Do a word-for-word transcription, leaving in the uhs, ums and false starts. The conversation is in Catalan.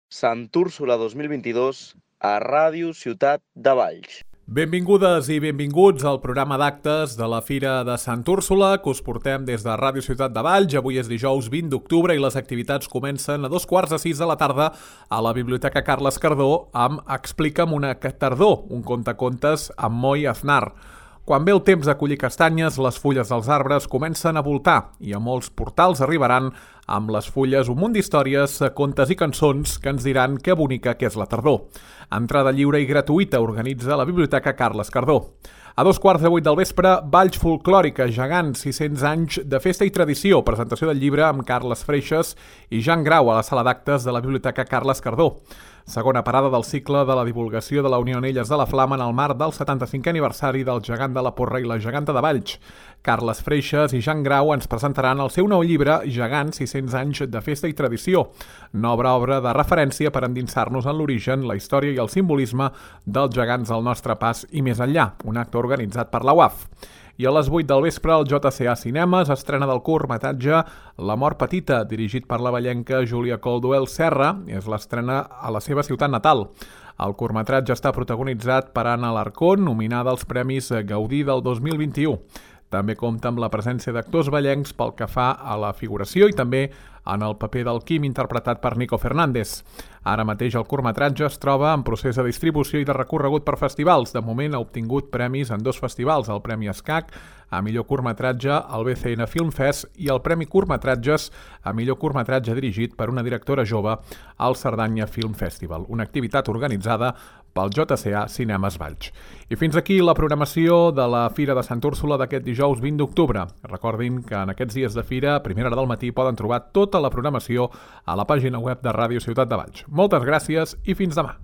Sant Úrsula dos mil vint-i-dos a Ràdio Ciutat de Valls. Benvingudes i benvinguts al programa d'actes de la Fira de Sant Úrsula que us portem des de Ràdio Ciutat de Valls. Avui és dijous vint d'octubre i les activitats comencen a dos quarts de sis de la tarda a la Biblioteca Carles Cardó amb Explica'm una tardor, un contacontes amb Moi Aznar. Quan ve el temps de collir castanyes, les fulles dels arbres comencen a voltar i a molts portals arribaran amb les fulles un munt d'històries, contes i cançons que ens diran que bonica que és la tardor. Entrada lliure i gratuïta organitza la Biblioteca Carles Cardó. A dos quarts de vuit del vespre, Valls Folclòrica, gegants, sis-cents anys de festa i tradició, presentació del llibre amb Carles Freixes i Jan Grau a la sala d'actes de la Biblioteca Carles Cardó. Segona parada del cicle de la divulgació de la Unió Anelles de la Flama en el marc del setanta-cinquè aniversari del gegant de la Porra i la geganta de Valls. Carles Freixes i Jan Grau ens presentaran el seu nou llibre Gegants, sis-cents anys de festa i tradició, nova obra de referència per endinsar-nos en l'origen, la història i el simbolisme dels gegants al nostre pas i més enllà, un acte organitzat per la U A F. I a les vuit del vespre, el J C A Cinemes estrena del curtmetratge La mort petita, dirigit per la vallenca Júlia Colduel Serra. És l'estrena a la seva ciutat natal. El curtmetratge està protagonitzat per Anna Alarcón, nominada als Premis Gaudí del dos mil vint-i-u. També compta amb la presència d'actors vallencs pel que fa a la figuració i també en el paper del Quim interpretat per Nico Fernández. Ara mateix el curtmetratge es troba en procés de distribució i de recorregut per festivals. De moment ha obtingut premis en dos festivals, el Premi Escac a millor curtmetratge al B C N Film Fest i el Premi Curtmetratges a millor curtmetratge dirigit per una directora jove al Cerdanya Film Festival, una activitat organitzada pel J C A Cinemes Valls. I fins aquí la programació de la Fira de Sant Úrsula d'aquest dijous vint d'octubre. Recordin que en aquests dies de fira, a primera hora del matí, poden trobar tota la programació a la pàgina web de Ràdio Ciutat de Valls. Moltes gràcies i fins demà.